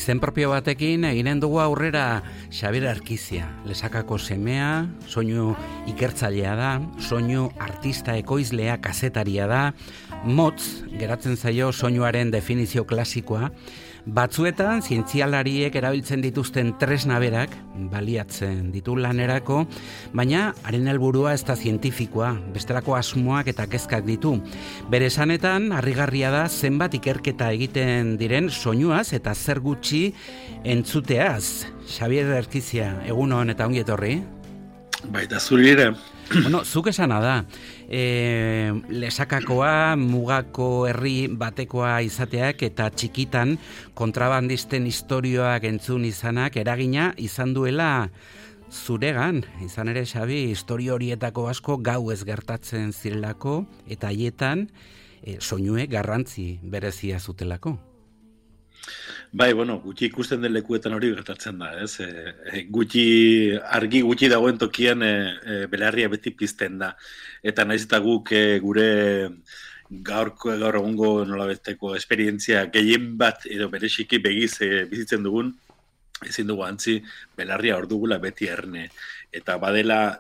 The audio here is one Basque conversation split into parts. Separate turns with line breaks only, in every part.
Izen propio batekin eginen dugu aurrera Xabier Arkizia, Lesakako semea, soinu ikertzailea da, soinu artista ekoizlea, kazetaria da, motz geratzen zaio soinuaren definizio klasikoa, batzuetan zientzialariek erabiltzen dituzten tresna berak baliatzen ditu lanerako, baina haren helburua ez da zientifikoa, bestelako asmoak eta kezkak ditu. Bere esanetan, harrigarria da zenbat ikerketa egiten diren soinuaz eta zer gutxi entzuteaz. Xabier Arkizia, egun hon eta ongi etorri.
Baita zuri ere.
Bueno, zuk esana da, Lesakakoa, mugako herri batekoa izateak eta txikitan kontrabandisten istorioak entzun izanak eragina izan duela zuregan. Izan ere, Xabi, istorio horietako asko gau ez gertatzen zirelako eta haietan soinuek garrantzi berezia zutelako.
Bai, gutxi ikusten den lekuetan hori gertatzen da, ez? Argi gutxi dagoen tokian belarria beti pizten da. Eta naiz eta guk gure gaur egungo nolabesteko esperientzia gehien bat edo bereziki begiz bizitzen dugun, ezin dugu antzi belarria hor dugula beti erne. Eta badela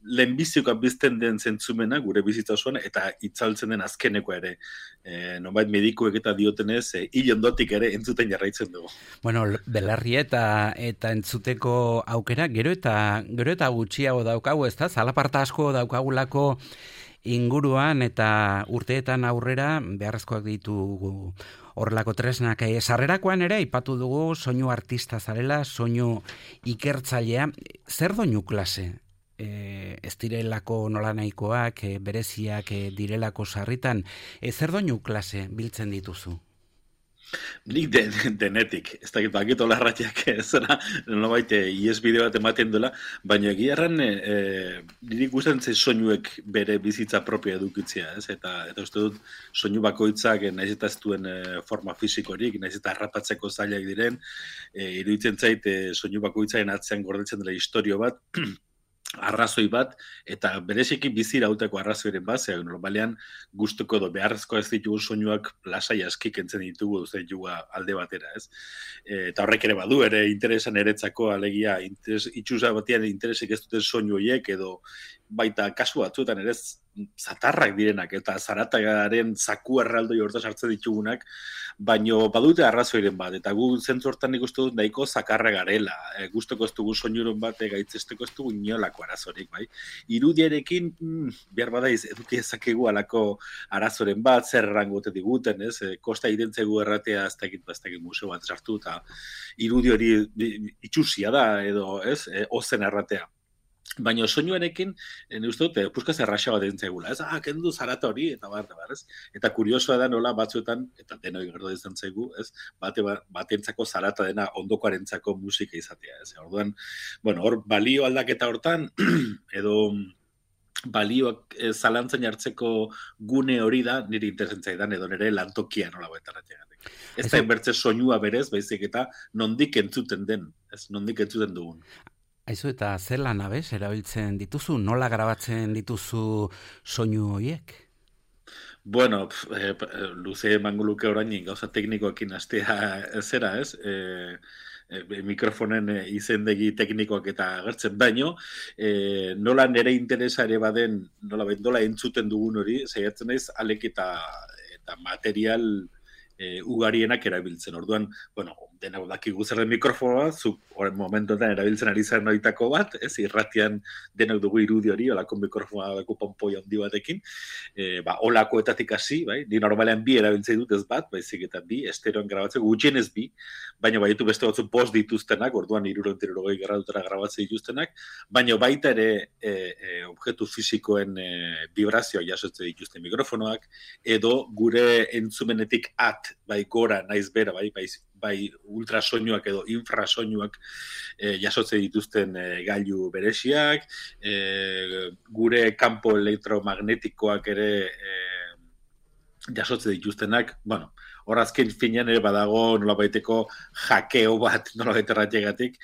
lehenbizioka bizten den zentzumena gure bizitza osoan eta itzaltzen den azkeneko ere. Nonbait medikuek eta diotenez, hil ondotik ere entzuten jarraitzen dugu.
Bueno, belarri eta entzuteko aukera gero eta gutxiago daukagu, ezta? Zalaparta asko daukagulako inguruan eta urteetan aurrera beharrezkoak ditugu horrelako tresnak. Sarrerakoan ere aipatu dugu soinu artista zarela, soinu ikertzailea. Zer doinu klase? Ez direlako nolanahikoak, bereziak direlako sarritan, zer doinu klase biltzen dituzu?
Nik denetik, ez dakit bakit olarratiak zera, nolabait iesbide bat ematen duela, baina egia erran niri gustatzen zen soinuek bere bizitza propia edukitzea, ez? Eta uste dut soinu bakoitzak nahiz eta ez duen forma fisikorik, nahiz eta harrapatzeko zailak diren, iruditzen zait soinu bakoitzaren atzean gordetzen dela istorio bat, arrazoi bat, eta bereziki bizi irauteko arrazoiren bat, normalean gustuko edo beharrezko ez ditugu soinuak lasai aski kentzen ditugu alde batera, ez? Eta horrek ere badu, ere interesan eretzako alegia, itxusa batean interesik ez duten soinu horiek, edo baita kasu batzuetan ere zatarrak direnak, eta zaratagaren zaku erraldoi hortaz hartzen ditugunak, baino badute arrazoiren bat, eta gu zentzu hortan nik uste dut nahiko zakarra garela, gustoko ez dugu soinuron bat, gaitzesteko ez dugu inolako arazorik, bai? Irudiarekin, behar badaiz, eduki ezakegu alako arazoren bat, zer errangote diguten, ez? Kosta identzegu erratea, ez dakit museo bat sartu, eta irudi hori itxusia da, edo, ez? Ozen erratea. Baina soinuarekin, uste dut, puskaz erraxa bat entzegula, ez? Kendu zarata hori, eta ez? Eta kuriosoa da nola batzuetan, eta denoi gerdo izan zaigu, ez? Batentzako zarata dena ondokoarentzako musika izatea, ez? Orduan, hor balio aldaketa hortan, edo balioak zalantzan jartzeko gune hori da, niri interesentzaidan, edo nire lantokia nola baitaratzeagatik. Ez da inbertze soinua berez, baizik eta nondik entzuten den, ez? Nondik entzuten dugun.
Aizu, eta zer lan abez erabiltzen dituzu? Nola grabatzen dituzu soinu horiek?
Luze emango luke orain gauza teknikoekin hastea zera, ez? Mikrofonen izendegi teknikoak eta agertzen baino, nola nere interesa ere baden, nola entzuten dugun hori, saiatzen naiz alek eta material ugarienak erabiltzen. Orduan, denak dakigu zer den mikrofonoa, zuk momentuetan erabiltzen ari zen noitako bat, ez, irratian denak dugu irudi hori, olako mikrofonoa, olako pompoi handi batekin, olakoetatik hasi, bai, ni normalean bi erabiltzen dut ez bat, baizik eta bi, estereoan grabatzeko, gutxienez bi, baina baitu beste batzu post dituztenak, orduan 360 gradutara grabatzen dituztenak, baina baita ere objektu fisikoen vibrazioa jasotzen dituzten mikrofonoak, edo gure entzumenetik bai gora, naiz bera, bai ultrasoinuak edo infrasoinuak jasotzen dituzten gailu bereziak, gure kanpo elektromagnetikoak ere jasotzen dituztenak, hor azken finean ere badago nolabaiteko hakeo bat, nolabait erratiegatik,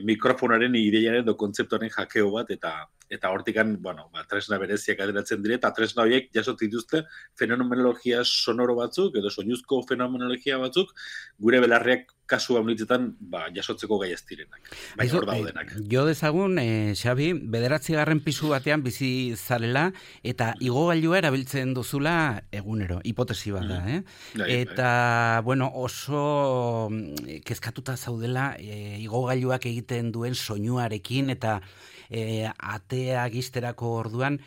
mikrofonaren ideiaren edo kontzeptuaren hakeo bat, eta eta hortikan, bueno, tresna bereziak ateratzen dire, eta tresna horiek jasot dituzte fenomenologia sonoro batzuk, edo soinuzko fenomenologia batzuk, gure belarriak kasu haunitzetan jasotzeko gai ez direnak. Baina hor daudenak.
Jo dezagun, Xabi, 9. pisu batean bizi zarela, eta igogailua erabiltzen duzula egunero, hipotesi bat da, Eta, bueno, oso kezkatuta zaudela igogailuak egiten duen soinuarekin, eta atea gizterako orduan,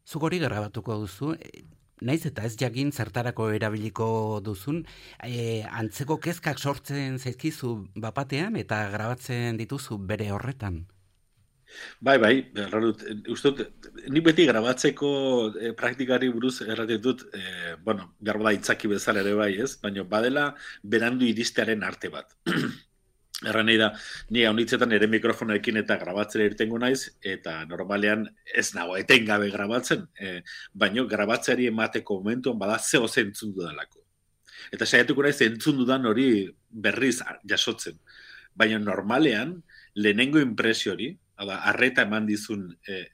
zuk hori grabatuko duzu, naiz eta ez jakin zertarako erabiliko duzun, antzeko kezkak sortzen zaizkizu bapatean eta grabatzen dituzu bere horretan.
Bai, uste dut, nik beti grabatzeko praktikari buruz erraten dut, behar bada itzaki bezala ere bai, ez? Baina badela berandu iristearen arte bat. Erran nahi da, ni haunitzetan ere mikrofonoekin eta grabatzera irtengo naiz, eta normalean ez nago etengabe grabatzen, baina grabatzeari emateko momentuan bada zeo zentzun dudalako. Eta saiatuko naiz entzun dudan hori berriz jasotzen. Baina normalean, lehenengo impresio hori, arreta eman dizun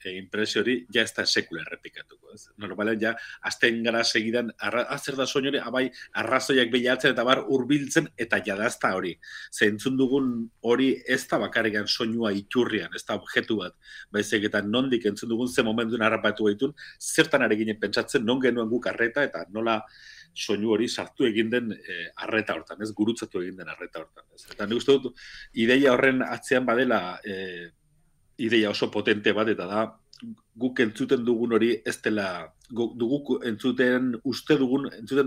impresio hori, ja ez da sekula errepikatuko. Ez? Normalean, ja, azten gara segidan, zer da soin hori, arrazoiak behiatzen eta bar hurbiltzen eta jadazta hori. Zentzun dugun hori ez da bakarrikan soinua iturrian, ez da objektu bat. Baizik eta nondik entzun dugun ze momentuen harrapatu gaitun, zertan ari ginen pentsatzen, non genuen guk arreta eta nola soinu hori sartu egin den arreta hortan, ez gurutzatu egin den arreta hortan. Ez? Eta nik uste dut, ideia horren atzean badela ideia oso potente bat, eta da, guk entzuten dugun hori ez dela, guk entzuten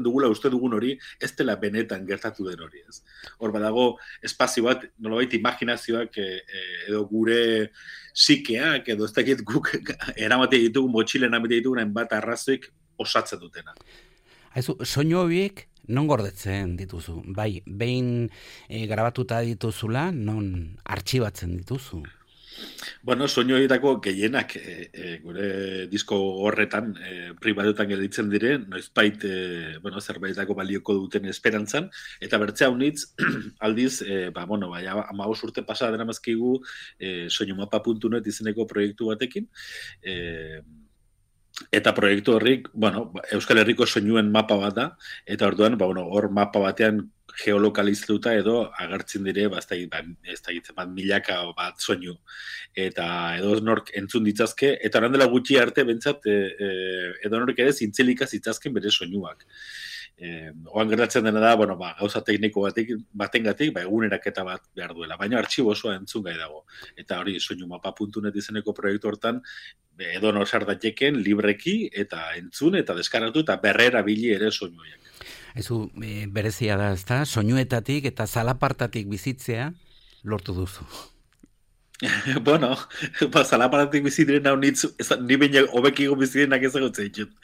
dugula uste dugun hori ez dela benetan gertatu den hori, ez. Hor badago espazio bat, nolabait imaginazioak edo gure psikeak, edo ez dakit guk eramate ditugun, motxilen eramate ditugun hainbat arrazoik osatzen dutena.
Soinu horiek non gordetzen dituzu? Bai, behin grabatuta dituzula, non artxibatzen dituzu?
Bueno, soinu horietako gehienak gure disko horretan pribatuetan gelditzen dire, noizbait zerbaitako balioko duten esperantzan, eta bertzea unitz aldiz, 15 urte pasa dena mazkigu soinumapa.net izeneko proiektu batekin, eta proiektu horrik, Euskal Herriko soinuen mapa bat da, eta orduan, hor mapa batean geolokalizatuta edo agertzen dire, milaka bat soinu. Eta edo nork entzun ditzazke, eta oran dela gutxi arte bentsat, edo nork ere zintzelika zitzazken bere soinuak. Oan gertatzen dena da, gauza tekniko batengatik, eguneraketa bat behar duela, baina artxibo osoa entzun gai dago. Eta hori soinumapa.net izeneko proiektu hortan, edo nor sar daiteken libreki eta entzun eta deskargatu eta berrera bili ere soinuak.
Ezu berezia da, ezta? Soinuetatik eta zalapartatik bizitzea lortu duzu.
Zalapartatik bizitzen hau ni baina hobekigo bizitzenak ezagutzen ditut.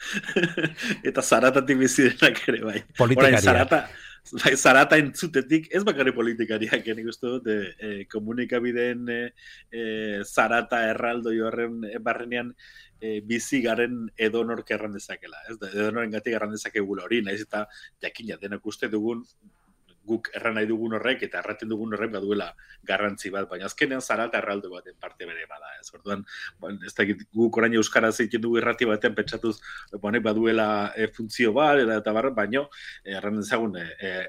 Eta zaratatik bizitzenak ere bai.
Politikaria.
Zarata entzutetik, ez bakarri politikariak, nik uste dut, komunikabideen zarata erraldo horren barrenean bizi garen edonork erran dezakela. Edonoren gatik erran dezakegula hori, nahiz eta jakina denak uste dugun, guk erran nahi dugun horrek eta erraten dugun horrek baduela garrantzi bat, baina azkenean zarata erraldo baten parte bere bada. Ez orduan, ez da guk orain euskaraz egiten dugu irrati batean pentsatuz baduela funtzio bat, eta baino, erran dezagun,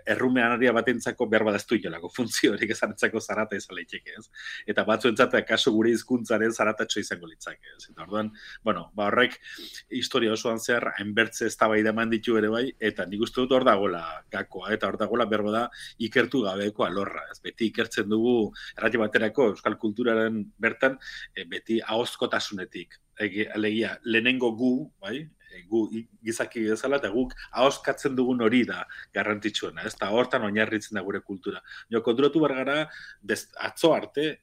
errumeanaria batentzako behar badaztu inolako funtzio horik ezanetzako zarata izan leiteke, ez? Eta batzuentzat, kaso gure hizkuntzaren zaratatxo izango litzake, ez? Eta orduan, horrek historia osoan zehar, hainbertze eztabaida eman ditu ere bai, eta nik uste dut hor dagoela gakoa, eta hor dagoela behar da ikertu gabeko alorra. Ez beti ikertzen dugu errati baterako euskal kulturaren bertan, beti ahozkotasunetik. Alegia, lehenengo gu, bai? Gu gizaki bezala, eta guk ahozkatzen dugun hori da garrantzitsuena, ez da hortan oinarritzen da gure kultura. Konturatu behar gara, atzo arte,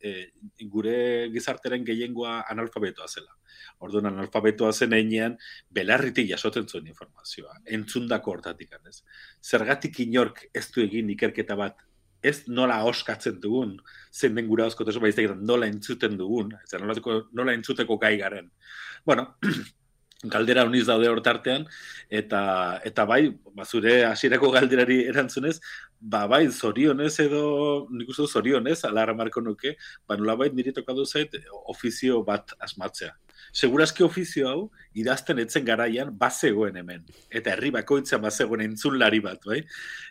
gure gizarteren gehiengoa analfabetoa zela. Orduan analfabetoa zen einean, belarritik jasotzen zuen informazioa, entzundako hortatik, ez? Zergatik inork ez du egin ikerketa bat, ez nola ahoskatzen dugun, zein den gura ahoskotasun baizik, nola entzuten dugun, nola entzuteko gai garen. Galdera honiz daude hortartean, eta bai, zure hasierako galderari erantzunez, bai, zorionez edo, nik uste zorionez, alarra marko nuke, nolabait niri tokatu zait ofizio bat asmatzea. Segurazki ofizio hau, idazten etzen garaian, bazegoen hemen. Eta herri bakoitzean bazegoen entzulari bat, bai?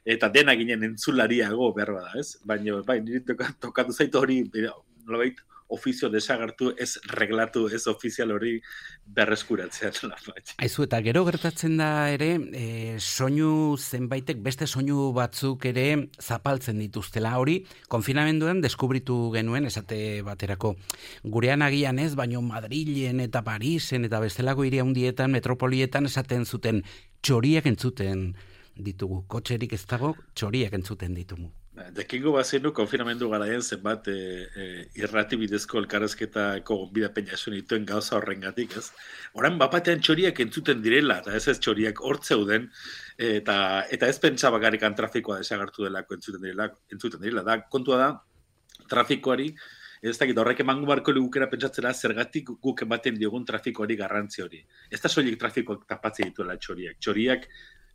Eta dena ginen entzulariago behar bada, ez? Baina, bai, niri tokatu zaitu hori, nolabait, ofizio desagartu, ez reglatu, ez ofizial hori berreskuratzea.
Aizu, eta gero gertatzen da ere, soinu zenbaitek, beste soinu batzuk ere zapaltzen dituztela. Hori, konfinamenduan deskubritu genuen, esate baterako, gurean agian ez, baino Madrilen eta Parisen eta bestelako hiri handietan, metropolietan esaten zuten txoriak entzuten ditugu. Kotxerik ez dago, txoriak entzuten ditugu.
Dekingo bazenu, konfinamendu garaien zenbat irrati bidezko elkarrezketako gonbidapen jaso dituen gauza horrengatik, ez? Orain bapatean txoriak entzuten direla, eta ez txoriak hortzeuden, eta ez pentsa bakarrikan trafikoa desagartu delako entzuten direla. Da, kontua da, trafikoari, ez dakit, horrek emango barko ligukera pentsatzera zergatik guk ematen diogun trafikoari garrantzi hori. Ez da soilik trafikoak tapatzen dituela txoriak. Txoriak,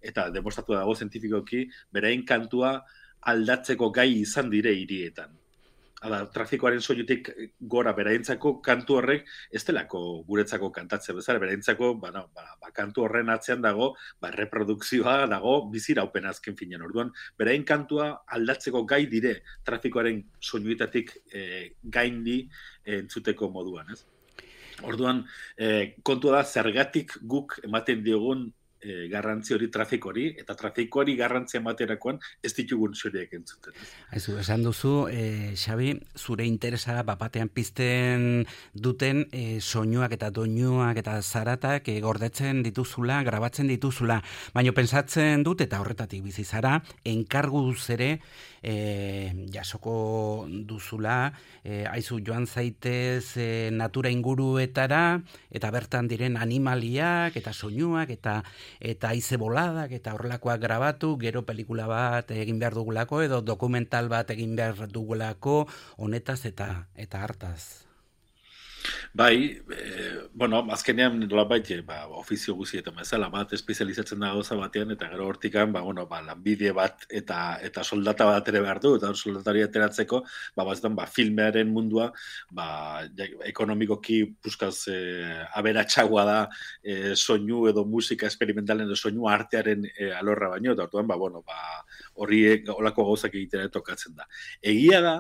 eta demostratu dago zientifikoki, berain kantua aldatzeko gai izan dire hirietan. Hala, trafikoaren soinutik gora beraintzako kantu horrek ez delako guretzako kantatze bezala, beraintzako kantu horren atzean dago, reprodukzioa dago biziraupen azken finean. Orduan, berain kantua aldatzeko gai dire trafikoaren soinuetatik gaindi entzuteko moduan, ez? Orduan, kontua da zergatik guk ematen diogun garrantzi hori trafikoari, eta trafikoari garrantzia ematerakoan ez ditugun txoriak entzuten.
Aizu, esan duzu, Xabi, zure interesa bapatean pizten duten soinuak eta doinuak eta zaratak gordetzen dituzula, grabatzen dituzula, baina pentsatzen dut, eta horretatik bizi zara, enkarguz ere jasoko duzula, aizu joan zaitez natura inguruetara, eta bertan diren animaliak, eta soinuak, eta haize boladak, eta horrelakoak grabatu, gero pelikula bat egin behar dugulako, edo dokumental bat egin behar dugulako, honetaz eta hartaz.
Bai, azkenean nolabait, ofizio guzietan bezala bat espezializatzen da gauza batean, eta gero hortikan, lanbide bat eta soldata bat ere behar du, eta soldatari ateratzeko, filmearen mundua, ekonomikoki puskaz aberatsagoa da soinu edo musika experimentalen edo soinu artearen alorra baino, eta orduan, horiek olako gauzak egitera tokatzen da. Egia da,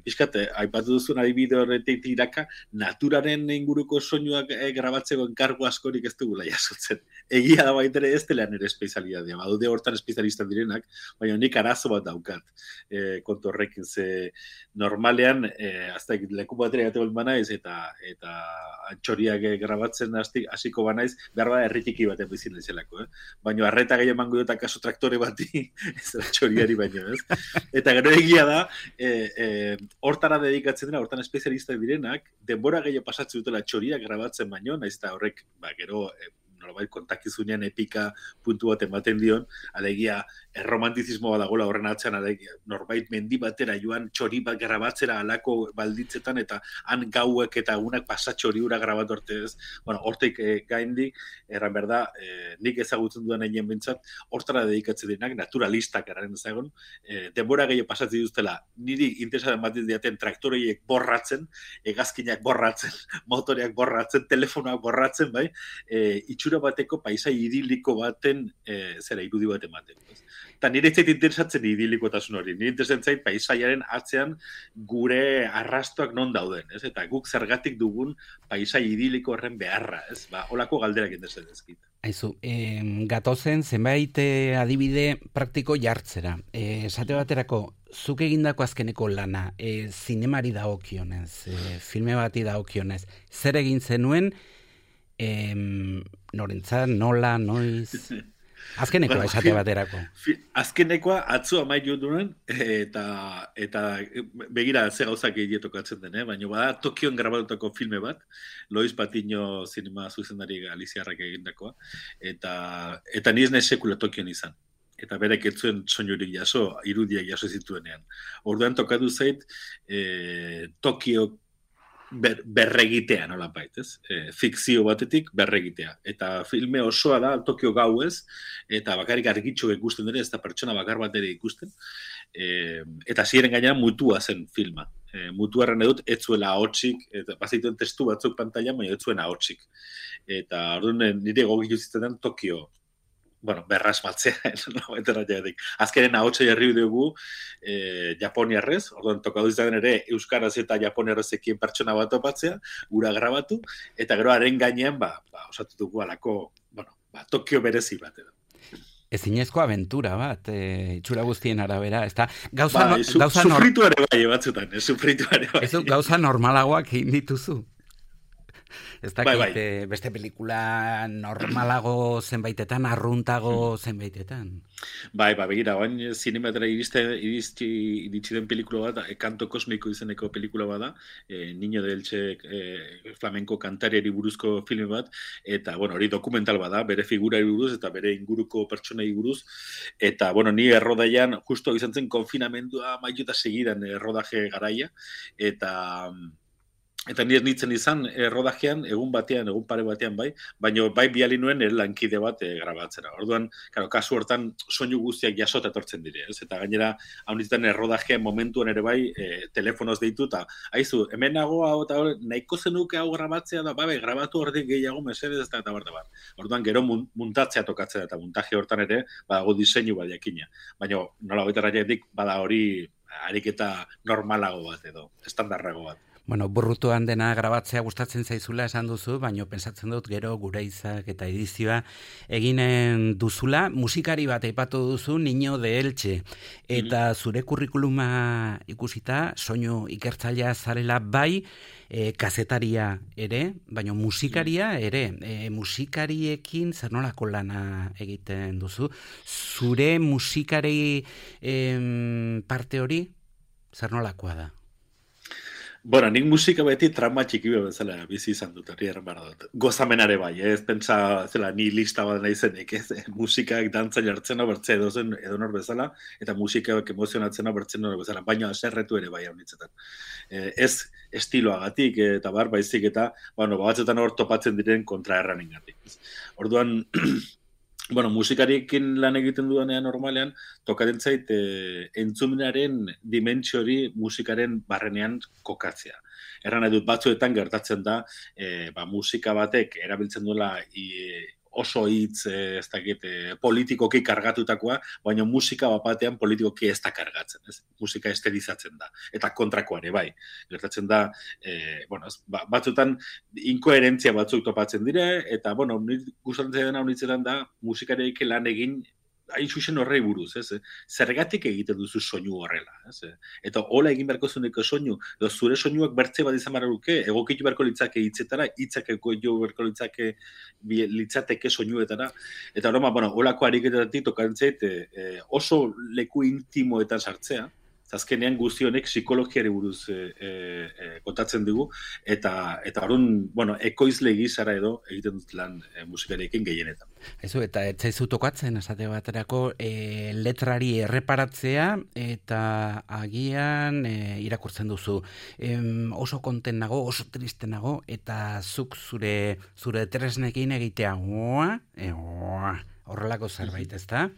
pixkat, aipatu duzun adibide horretik tiraka, naturaren inguruko soinuak grabatzeko enkargu askorik ez dugula jasotzen. Egia da baitere ez dela nire espezialitatea. Badude hortan espezialistak direnak, baina nik arazo bat daukat kontu horrekin. Ze normalean, leku batera gatu banaiz eta txoriak grabatzen hasiko banaiz, behar bada erritiki batean bizin lezelako. Baina arreta gehi emango dut akaso traktore bati, ez da txoriari baino, ez? Eta gero egia da, hortara dedikatzen dira, hortan espezialistak direnak, denbora gehiago pasatzen dutela txoriak grabatzen baino, naiz eta horrek, gero, nolabait kontakizunean epika puntu bat ematen dion, alegia erromantizismo bat dagoela horren atzean, alegia norbait mendi batera joan txori bat grabatzera alako balditzetan, eta han gauek eta egunak pasa txori hura grabatu arte ez. Hortek gaindi, erran berda, nik ezagutzen duan egin bintzat, hortara dedikatzen direnak, naturalistak eraren ezagun, denbora gehiago pasatzen dituztela, niri interesaren bat diaten traktoreiek borratzen, hegazkinak borratzen, motoreak borratzen, telefonoak borratzen, bai, itxura bateko paisai idiliko baten irudi bat ematen. Eta nire zait interesatzen idilikotasun hori. Nire interesatzen zait paisaiaren atzean gure arrastoak non dauden. Ez? Eta guk zergatik dugun paisai idiliko horren beharra. Ez? Holako galderak interesatzen ezkit.
Aizu, gatozen zenbait adibide praktiko jartzera. Esate baterako, zuk egindako azkeneko lana, zinemari dagokionez, filme bati dagokionez, zer egin zenuen, norentzat, nola, noiz... Azkenekoa esate baterako.
Azkenekoa atzu amaitu duen, eta begira ze gauzak tokatzen den, baina bada Tokion grabatutako filme bat, Lois Patiño zinema zuzendari galiziarrak egindakoa, eta ni ez nahi sekula Tokion izan. Eta berek etzuen soinurik jaso, irudiak jaso zituenean. Orduan tokatu zait, Tokio berregitea, nolapait, ez? Fikzio batetik berregitea. Eta filme osoa da Tokio gauez, eta bakarrik argitxo ikusten dira, ez da pertsona bakar bat ere ikusten. Eta ziren gainera mutua zen filma. mutuarren edut, ez zuela ahotsik, eta bazituen testu batzuk pantailan, baina ez zuen ahotsik. Eta orduan nire gogitu zitzen Tokio, bueno, berrasmatzea, azkenen ahotsa jarri dugu japoniarrez, orduan tokatu izan ere euskaraz eta japoniarrezekien pertsona bat topatzea, gura grabatu, eta gero haren gainean, osatu dugu alako, Tokio berezi bat edo.
Ezinezko aventura bat, itxura guztien arabera, ez da,
sufrituare bai, batzutan, sufrituare bai.
Ez gauza normalagoak egin dituzu. Ez dakit, beste pelikula normalago zenbaitetan, arruntago zenbaitetan.
Begira, oain zinematera iritsi den pelikula bat, Kanto Kosmiko izeneko pelikula bada, Niño de Elche flamenko kantariari buruzko filme bat, eta, hori dokumental bada, bere figurari buruz, eta bere inguruko pertsonei buruz, eta, ni errodaian, justo izan zen konfinamendua mailota segidan errodaje garaia, eta nire nintzen izan rodajean, egun pare batean baina bai biali nuen lankide bat grabatzera. Orduan, kasu hortan soinu guztiak jasota etortzen dire, ez? Eta gainera, hau nintzen rodajean momentuan ere bai, telefonoz deitu, eta haizu, hemen nago hau eta nahiko zenuke hau grabatzea da, grabatu ordik gehiago mesedez, eta bar. Orduan, gero muntatzea tokatzea, eta muntaje hortan ere, badago diseinu bat jakina. Baina, nola goitarra jatik, bada hori ariketa normalago bat edo, estandarrago bat.
Burrutuan dena grabatzea gustatzen zaizula esan duzu, baina pentsatzen dut gero gure izak eta edizioa eginen duzula. Musikari bat aipatu duzu, Niño de Elche. Eta zure kurrikuluma ikusita, soinu ikertzailea zarela bai, kazetaria ere, baina musikaria ere. Musikariekin zer nolako lana egiten duzu? Zure musikari parte hori zer nolakoa da?
Nik musika beti trauma txiki bezala bizi izan dut, hori erran dut. Gozamenare bai, ez pentsa zela ni lista bat nahi zenik, ez? Musikak dantzan jartzen bertze edonor bezala, eta musikak emozionatzen bertzen edonor bezala, baina aserretu ere bai haunitzetan. Ez estiloagatik eta baizik eta, batzutan hor topatzen diren kontraerraningatik. Orduan, musikariekin lan egiten dudanean normalean, tokaten zait entzumenaren dimentsiori musikaren barrenean kokatzea. Erran nahi dut batzuetan gertatzen da, musika batek erabiltzen duela oso hitz, ez dakit, politikoki kargatutakoa, baina musika batean politikoki ez da kargatzen, ez? Musika estilizatzen da, eta kontrakoare bai. Gertatzen da, batzutan inkoherentzia batzuk topatzen dire, eta, gustatzen dena honitzetan da, musikareik lan egin, hain zuzen horrei buruz, ez? Zergatik egiten duzu soinu horrela, ez? Eta hola egin beharko zuneko soinu, edo zure soinuak bertze bat izan beharko egokitu beharko litzake hitzetara, hitzak egokitu beharko litzateke soinuetara, eta holako ariketatik tokatzen oso leku intimoetan sartzea, azkenean guzti honek psikologiari buruz kontatzen dugu, eta orduan, ekoizle gizara edo egiten dut lan musikarekin gehienetan.
Eta ez zaizu tokatzen, esate baterako, letrari erreparatzea, eta agian irakurtzen duzu. Oso konten nago, oso triste nago, eta zuk zure tresnekin egitea, horrelako zerbait, ez da?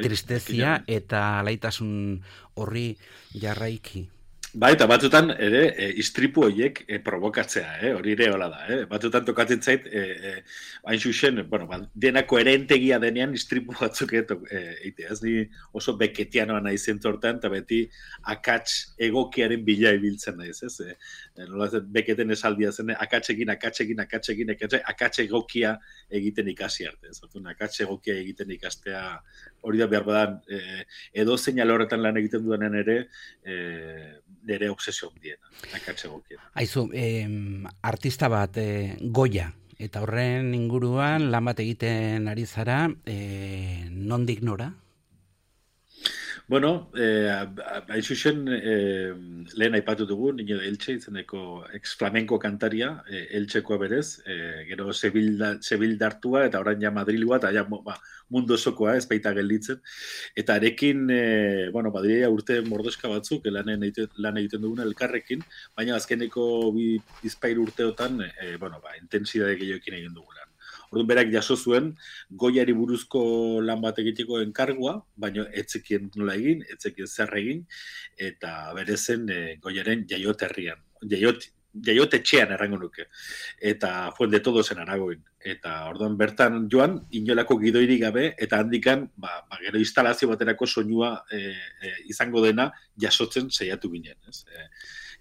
Tristezia eta alaitasun horri jarraiki.
Eta batzutan ere istripu horiek provokatzea, hori ere hola da. Batzutan tokatzen zait, hain zuzen, dena koherentegia denean istripu batzuk egitea. Ez ni oso beketianoa nahi zentzortan, eta beti akats egokiaren bila ibiltzen naiz, ez? Beketen esaldia zen, akats egokia egiten ikasi arte. Akats egokia egiten ikastea hori da behar badan, edo zein alorretan lan egiten duanean ere, nire obsesio handiena, akats egokiena.
Aizu, artista bat, Goya, eta horren inguruan lan bat egiten ari zara, nondik nora?
Hain zuzen, lehen aipatu dugu, Niño de Elche izeneko ex-flamenko kantaria, Eltsekoa berez, gero Sevildartua, eta orain ja Madrilua, eta ja mundu osokoa, ez baita gelditzen. Eta arekin, badirea urte mordoska batzuk, lan egiten duguna elkarrekin, baina azkeneko bizpahiru urteotan, intensidade gehioekin egin dugulan. Orduan berak jaso zuen Goiari buruzko lan bat egiteko enkargua, baina etzekien nola egin, etzekien zer egin, eta berezen Goiaren jaioterrian. Jaiotetxean errango nuke. Eta Fuente Todosen Aragoin. Eta orduan bertan joan, inolako gidoirik gabe, eta handikan, gero instalazio baterako soinua izango dena jasotzen saiatu ginen. Ez?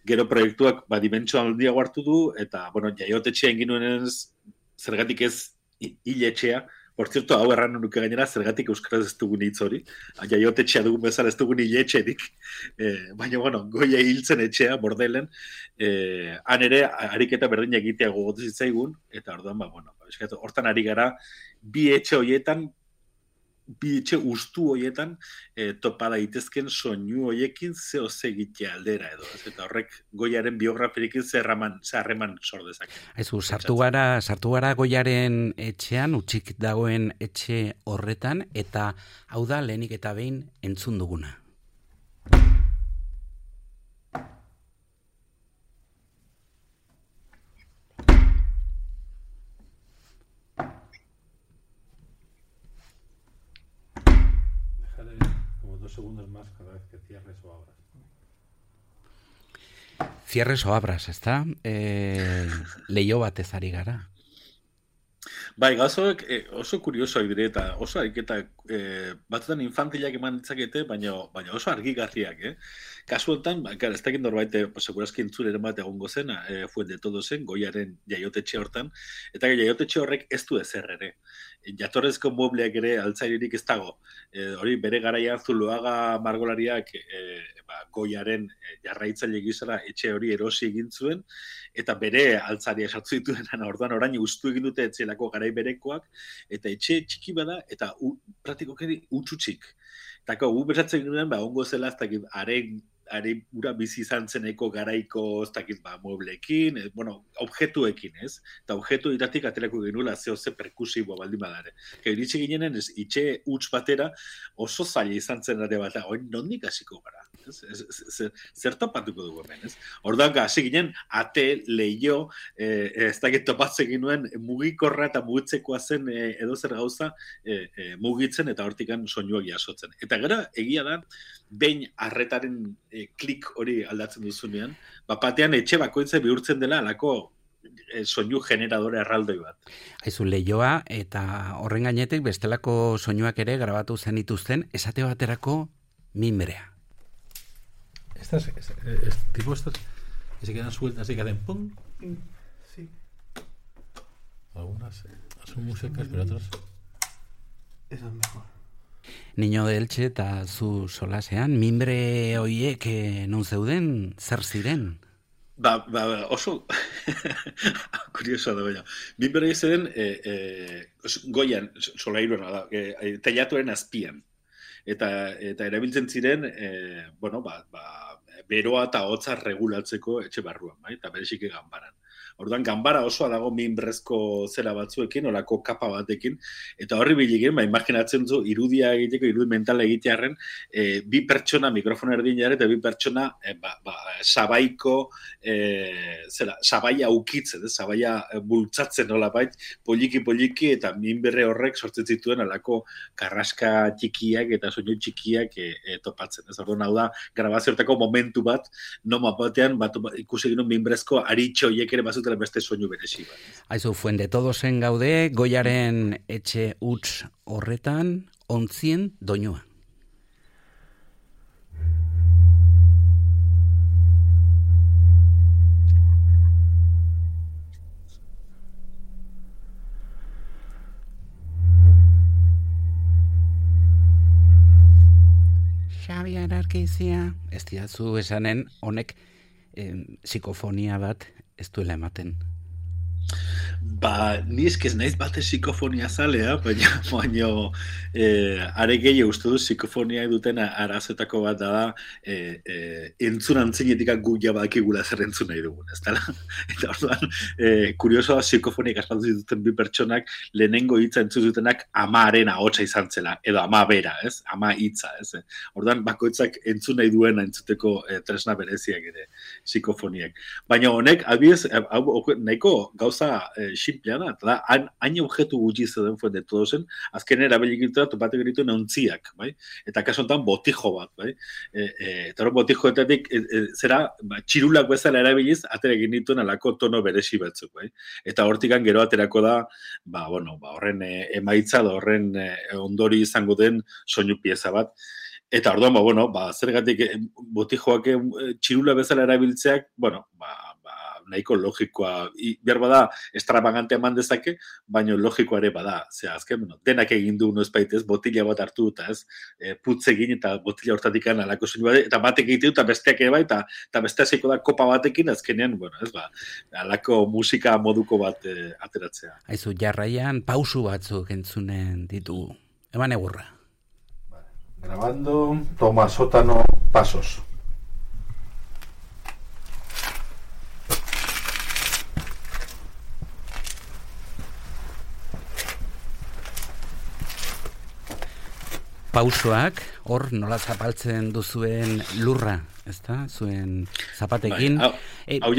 Gero proiektuak dimentsio handiago hartu du, eta jaiotetxean ginuen zergatik ez hiletxea. Por cierto, hau erran nuke gainera, zergatik euskaraz ez dugun hitz hori. Jaiotetxea dugun bezala ez dugun hiletxerik. Baina, Goia hiltzen etxea, Bordelen, han ere, ariketa berdin egitea gogotu zitzaigun, eta orduan, hortan ari gara, bi etxe ustu horietan topa daitezken soinu horiekin zeo egitea aldera edo. Eta horrek Goiaren biografirikin zerraman sor dezake.
Aizu, sartu gara Goiaren etxean, utxik dagoen etxe horretan, eta hau da lehenik eta behin entzun duguna.
Segundos más cada vez que cierres o abras.
Cierres o abras, ezta? Leio batez ari gara.
Bai, gauzoek oso kuriosoak dire eta oso ariketa batzutan infantilak eman ditzakete, baina oso argigarriak, Kasu honetan, ez dakit norbait, segurazki entzuleren bat egongo zen, Fuente Todosen, Goiaren jaiotetxe hortan, eta jaiotetxe horrek ez du ezer ere. Jatorrezko muebleak ere altzairirik ez dago. Hori bere garaian Zuloaga margolariak Goiaren jarraitzaile gizara etxe hori erosi egin zuen, eta bere altzaria sartu dituen orduan orain ustu egin dute etxelako garai berekoak, eta etxe txiki bada, eta praktikoki utxutxik. Eta gu besatzen ginen, ongo zela, ez dakit, are ura bizi izan zeneko garaiko, ez dakit, muebleekin, objetuekin, ez? Eta objektu iratik aterako genuela ze perkusiboa baldin badare. Iritsi ginenen, itxe huts batera oso zaila izan zen ere bat, nondik hasiko gara? Zer topatuko dugu hemen, ez? Orduan, hasi ginen, ate, leio, ez dakit topatzen ginuen, mugikorra eta mugitzekoa zen edo zer gauza mugitzen eta hortikan soinuak jasotzen. Eta gero, egia da, behin arretaren klik hori aldatzen duzunean, batean etxe bakoitza bihurtzen dela alako soinu generadore erraldoi bat.
Aizu, leioa eta horren gainetik bestelako soinuak ere grabatu zenituzten, esate baterako mimbrea.
Estas que se quedan sueltas y que hacen pum.
Sí.
Algunas son músicas, pero otras...
Esa es mejor.
Niño de Elche eta zu solasean, mimbre hoiek non zeuden, zer ziren?
Oso kuriosoa da baina. Mimbre hoiek zeuden Goian, solairuena da, teilatuaren azpian. Eta erabiltzen ziren, beroa eta hotza regulatzeko etxe barruan, eta bereziki ganbaran. Orduan, ganbara osoa dago minbrezko zera batzuekin, olako kapa batekin, eta horri biligin, imaginatzen zu, irudia egiteko, irudi mentala egitearen, bi pertsona mikrofona erdinean, eta bi pertsona sabaiko, sabaia ukitzen, sabaia bultzatzen nolabait, poliki, eta minberre horrek sortzen zituen alako karraska txikiak eta soinu txikiak topatzen. Orduan, hau da, grabazioetako momentu bat, noma batean, ikusi ginen minbrezko aritxoiek ere bazuten beste soinu berezi bat.
Aizu, Fuente Todosen gaude, Goiaren etxe huts horretan, ontzien doinua. Xabier Arkizia, ez diazu esanen, honek psikofonia bat ez duela ematen.
Ni eskez naiz bate psikofonia zalea, baina are gehiago uste du psikofonia duten arazetako bat da entzun antzinetik guia badakigula zer entzun nahi dugun, ez dela? Eta orduan, kuriosoa psikofonik aspaldu zituzten bi pertsonak lehenengo hitza entzun zutenak amaren ahotsa izan zela, edo ama bera, ez? Ama hitza, ez? Orduan, bakoitzak entzun nahi duena entzuteko tresna bereziak ere psikofoniak. Baina honek, adibidez, nahiko gauza gauza simplea da, eta da, hain objektu gutxi zeuden fuente todozen, azken erabilikitua topatek genituen ontziak, bai? Eta kaso honetan botijo bat, bai? Eta hori botijoetatik zera, txirulak bezala erabiliz, atera egin dituen alako tono beresi batzuk, bai? Eta hortikan gero aterako da, horren emaitza da horren ondori izango den soinu pieza bat. Eta orduan, zergatik botijoak txirula bezala erabiltzeak, nahiko logikoa, behar bada extravagante eman dezake, baina logikoa ere bada. Zea, azken, denak egin du no espaitez, botila bat hartu eta ez, putz egin eta botila hortatik alako soinu bat, eta batek egiten eta besteak ere bai, eta bestea zeiko da kopa batekin, azkenean, alako musika moduko bat ateratzea.
Aizu, jarraian pausu batzuk entzunen ditugu. Eman egurra.
Grabando, toma sótano, pasos.
Pausoak, hor nola zapaltzen duzuen lurra, ezta? Zuen zapatekin.
Hau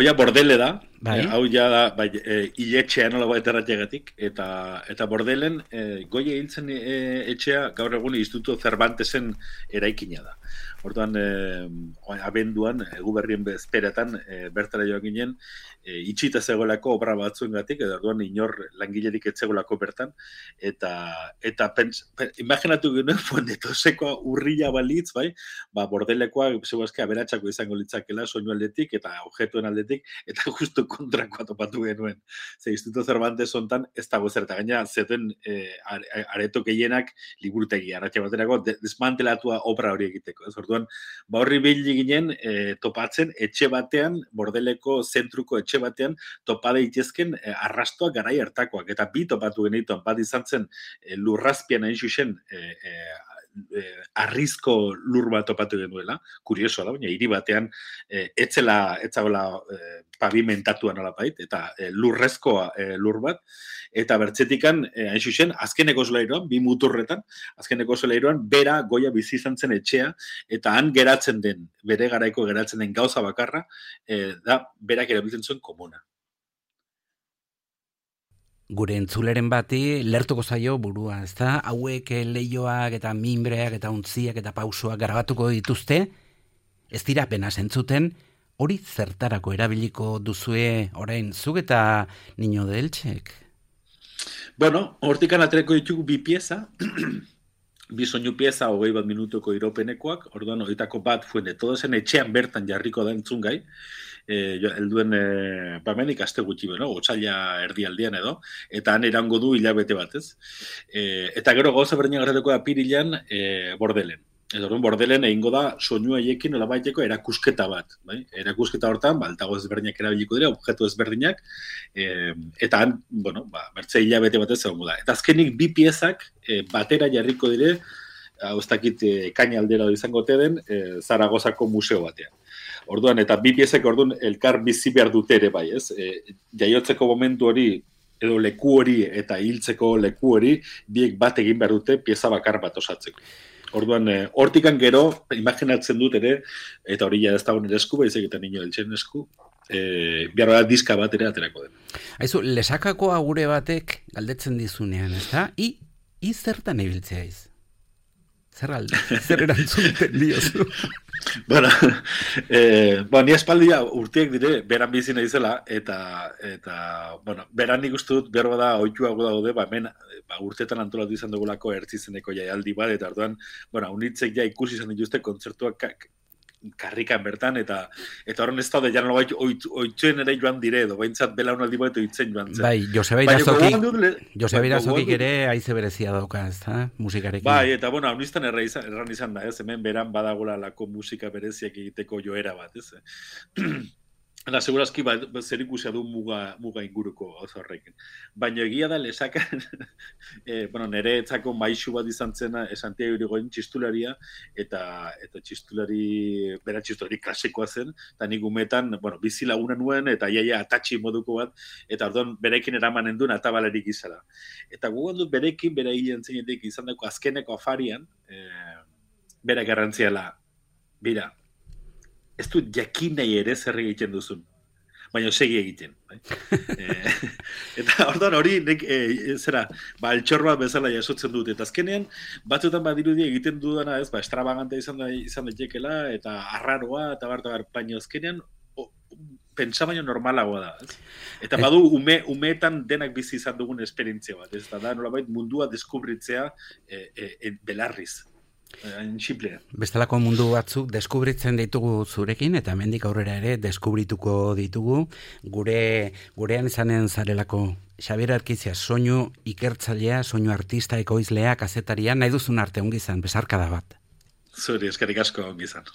ja bordele da,
bai?
Hau ja da, hiletxea nola baita erratxegatik, eta bordelen, goie hiltzen etxea, gaur egun Instituto Cervantesen eraikina da. Orduan, abenduan, Eguberrien bezperetan, bertara joan ginen, itxita zegoelako obra batzuengatik, edo orduan inor langilerik etzegoelako bertan, eta imaginatu genuen, fuendetoseko urrila balitz, bai, bordelekoa, zeuazke, aberatxako izango litzakela, soinu aldetik, eta objetuen aldetik, eta justu kontrakoa topatu genuen. Ze Instituto Cervantes hontan, ez dago zer, eta gaina, zeten areto gehienak liburutegi, arratxe baterako, desmantelatua obra hori egiteko, ez? Orduan, horri bili ginen topatzen, etxe batean, bordeleko zentruko etxe batean, topa daitezken arrastoak garai hartakoak, eta bi topatu genituen, bat izan zen lurrazpian hain zuzen, arrizko lur bat topatu genuela, kuriosoa da, baina hiri batean etzagola pavimentatuan alapait, eta lurrezkoa lur bat, eta bertzetikan, hain zuzen, azkeneko solairoan, bi muturretan, azkeneko solairoan, bera goia bizi izan zen etxea, eta han geratzen den, bere garaiko geratzen den gauza bakarra, da, berak erabiltzen zuen komuna.
Gure entzuleren bati lertuko zaio burua, ezta? Hauek leioak eta minbreak eta untziak eta pausoak grabatuko dituzte, ez dira apenas entzuten, hori zertarako erabiliko duzue orain zuk eta Niño de Eltxek?
Bueno, hortikan aterako ditugu bi pieza, bi soinu pieza 21 minutuko iropenekoak, orduan horietako bat fuende, todozen etxean bertan jarriko da entzungai, helduen bamenik aste gutxi beno, otsaila erdialdian edo, eta han erango du hilabete batez. Eta gero gauza berdinak gertatuko da apirilean bordelen. Orduan bordelen egingo da soinu haiekin nolabaiteko erakusketa bat, bai? Erakusketa hortan, altago ezberdinak erabiliko dira, objektu ezberdinak, eta han, bertze hilabete batez egongo da. Eta azkenik bi piezak batera jarriko dire, hau ez dakit kaina aldera izango ote den, Zaragozako museo batean. Orduan, eta bi piezak orduan elkar bizi behar dute ere bai, ez? Jaiotzeko momentu hori, edo leku hori eta hiltzeko leku hori, biek bat egin behar dute pieza bakar bat osatzeko. Orduan, hortikan gero, imaginatzen dut ere, eta hori ja ez dago nire esku, baizik eta Niño Eltxen esku, behar da diska bat ere aterako den.
Aizu, lesakako agure batek galdetzen dizunean, ez da? I zertan ibiltzea iz? Zer erantzuten diozu?
Ni espaldia urteak dire, beran bizi naizela, eta beran nik uste dut, behar bada, oituago daude, hemen urteetan antolatu izan dugulako ertzizeneko jaialdi bat, eta orduan, unitzek ja ikusi izan dituzte kontzertuak karrikan bertan, eta horren ez daude, jan nolabait oitzuen ere joan dire, edo behintzat belaunaldi bat oitzen joan zen.
Bai, Joseba Irazokik ere haize berezia dauka, ez da, musikarekin.
Bai, eta haunistan erran izan da, ez, hemen beran badagola lako musika bereziak egiteko joera bat, ez. Eta segurazki zer ikusia du muga inguruko oso horrekin. Baina egia da lesakan, nire etzako maisu bat izan zena Santiago Irigoyen txistularia, eta bera txistulari klasikoa zen, eta nik umetan, bizi laguna nuen, eta iaia atatxi moduko bat, eta orduan berekin eramanen duen atabalerik izala. Eta gugan dut berekin, bera hilen zeinetik izan dago azkeneko afarian, bera garrantziala, bira, ez du jakin nahi ere zer egiten duzun. baina segi egiten. Bai? Eta orduan hori, altxor bat bezala jasotzen dut, eta azkenean, batzuetan badirudi egiten dudana, ez, extravagante izan daitekela, eta arraroa, eta baina azkenean, pentsa baino normalagoa da, ez? Eta badu umeetan denak bizi izan dugun esperientzia bat, ez da nolabait mundua deskubritzea belarriz. Simplea.
Bestelako mundu batzuk deskubritzen ditugu zurekin, eta hemendik aurrera ere deskubrituko ditugu, gurean izanen zarelako. Xabier Arkizia, soinu ikertzailea, soinu artista, ekoizlea, kazetaria, nahi duzun arte ongi izan, besarkada bat.
Zuri, eskerrik asko ongi izan.